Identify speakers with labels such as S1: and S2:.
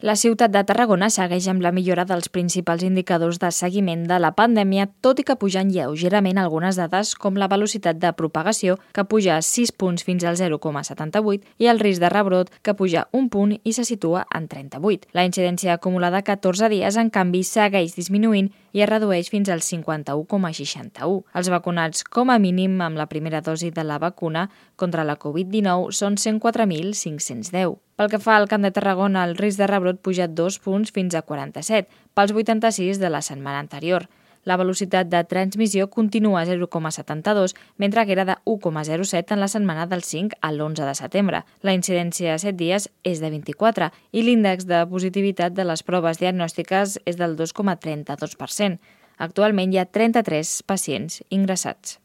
S1: La ciutat de Tarragona segueix amb la millora dels principals indicadors de seguiment de la pandèmia, tot i que pugen lleugerament algunes dades com la velocitat de propagació, que puja 6 punts fins al 0,78, i el risc de rebrot, que puja un punt i se situa en 38. La incidència acumulada a 14 dies, en canvi, segueix disminuint i es redueix fins al 51,61. Els vacunats com a mínim amb la primera dosi de la vacuna contra la Covid-19 són 104.510. Pel que fa al Camp de Tarragona, el risc de rebrot puja 2 punts fins a 47, pels 86 de la setmana anterior. La velocitat de transmissió continua a 0,72, mentre que era de 1,07 en la setmana del 5 a l'11 de setembre. La incidència a 7 dies és de 24 i l'índex de positivitat de les proves diagnòstiques és del 2,32%. Actualment hi ha 33 pacients ingressats.